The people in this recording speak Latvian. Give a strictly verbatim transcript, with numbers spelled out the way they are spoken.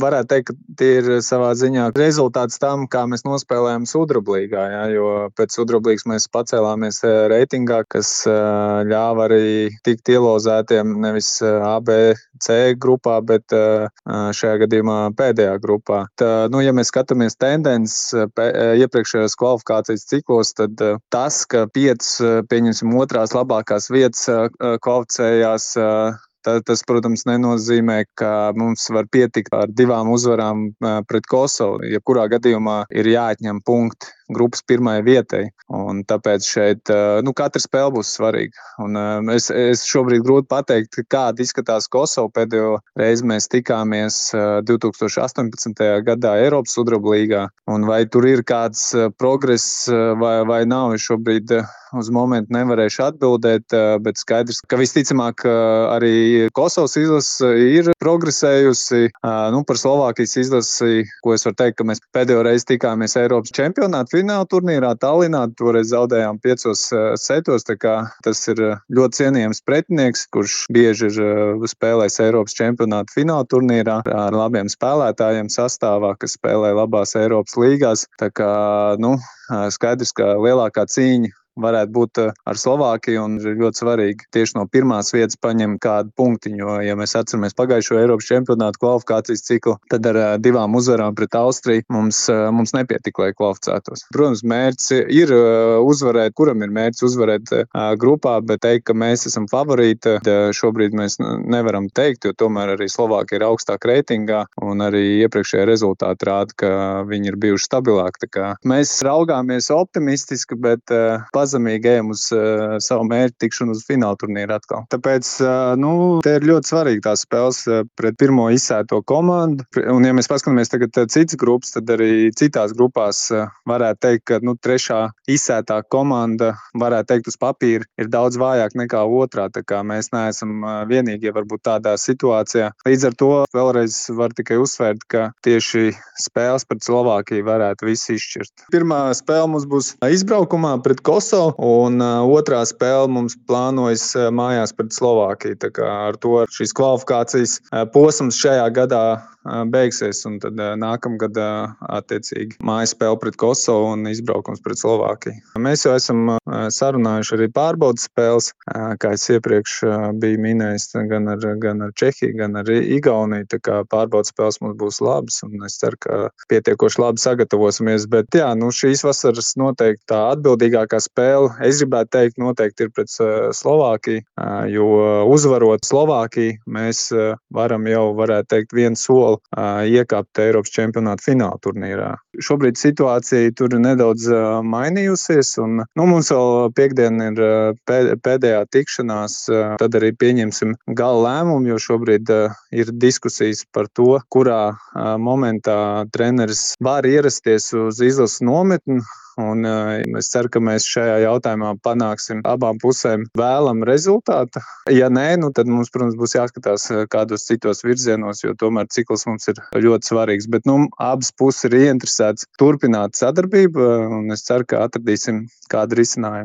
varētu teikt, ka tie ir savā ziņā rezultāts tam, kā mēs nospēlējām Sudrablīgā, jā, jo pēc Sudrablīgas mēs pacēlāmies reitingā, kas ļāva arī tikt ielozētiem nevis A, B, C grupā, bet šajā gadījumā pēdējā grupā. Tā, nu, ja mēs skatāmies tendences iepriekšējos kvalifikācijas ciklos, tad tas, ka piecas, pieņemsim, otrās labākās vietas kvalificējās, tas, protams, nenozīmē, ka mums var pietikt ar divām uzvarām pret Kosovu. Jebkurā gadījumā ir jāatņem punkti grupas pirmajai vietai. Un tāpēc šeit nu, katra spēle būs svarīga. Un, es, es šobrīd grūti pateikt, kāda izskatās Kosova. Pēdējo reizi mēs tikāmies divi tūkstoši astoņpadsmitajā gadā Eiropas Sudrablīgā. Un vai tur ir kāds progress vai, vai nav, es šobrīd uz momentu nevarēšu atbildēt, bet skaidrs, ka visticamāk arī Kosovas izlase ir progresējusi. Nu, par Slovākijas izlasi, ko es varu teikt, ka mēs pēdējo reizi tikāmies Eiropas čempionāta fināla turnīrā Tallinā, toreiz zaudējām piecos setos, tā kā tas ir ļoti cienījams pretinieks, kurš bieži ir spēlējis Eiropas čempionāta fināla turnīrā ar labiem spēlētājiem sastāvā, kas spēlē labās Eiropas līgās. Tā kā, nu, skaidrs, ka lielākā cīņa varētu būt ar Slovākiju, un ir ļoti svarīgi tieši no pirmās vietas paņemt kādu punktiņu, jo, ja mēs atceramies pagājušo Eiropas čempionātu kvalifikācijas ciklu, tad ar divām uzvarām pret Austriju mums, mums nepietika, lai kvalificētos. Protams, mērķis ir uzvarēt, kuram ir mērķis uzvarēt grupā, bet teikt, ka mēs esam favorīti, šobrīd mēs nevaram teikt, jo tomēr arī Slovākija ir augstāk reitingā, un arī iepriekšējie rezultāti rāda, ka viņi ir bijuši stabilāki. Tā kā mēs raugāmies optimistiski, bet pazemīgi ejam uz uh, savu mērķu tikšanu uz fināla turnīru atkal. Tāpēc, uh, nu, te ir ļoti svarīgi tās spēles uh, pret pirmo izsēto komandu. Un, ja mēs paskatāmies tagad uh, citas grupas, tad arī citās grupās uh, varētu teikt, ka, nu, trešā izsētā komanda, varētu teikt, uz papīra ir daudz vājāk nekā otrā, tā kā mēs neesam uh, vienīgie varbūt tādā situācijā. Līdz ar to vēlreiz var tikai uzsvērt, ka tieši spēles pret Slovākiju varētu visu izšķirt. Pirmā spēle mums būs izbraukumā pret Kosovu, un uh, otrā spēle mums plānojas uh, mājās pret Slovākiju. Tā kā ar to šīs kvalifikācijas uh, posms šajā gadā uh, beigsies, un tad uh, nākamgad uh, attiecīgi mājas spēle pret Kosovu un izbraukums pret Slovākiju. Mēs jau esam uh, sarunājuši arī pārbaudas spēles, uh, kā es iepriekš uh, biju minējis, gan ar, gan ar Čehiju, gan ar Igauniju. Tā kā pārbaudas spēles mums būs labas, un es ceru, ka pietiekoši labi sagatavosimies. Bet jā, nu, šīs vasaras noteikti tā atbildīgākā spēle, es gribētu teikt, noteikti ir pret Slovākiju, jo uzvarot Slovākiju, mēs varam jau, varētu teikt, vienu soli iekāpt Eiropas čempionāta fināla turnīrā. Šobrīd situācija tur ir nedaudz mainījusies, un nu, mums vēl piekdien ir pēdējā tikšanās, tad arī pieņemsim gala lēmumu, jo šobrīd ir diskusijas par to, kurā momentā treneris var ierasties uz izlases nometni. Un es ceru, ka mēs šajā jautājumā panāksim abām pusēm vēlamu rezultātu. Ja nē, nu tad mums, protams, būs jāskatās kādos citos virzienos, jo tomēr cikls mums ir ļoti svarīgs. Bet nu, abas puses ir ieinteresētas turpināt sadarbību, un es ceru, ka atradīsim kādu risinājumu.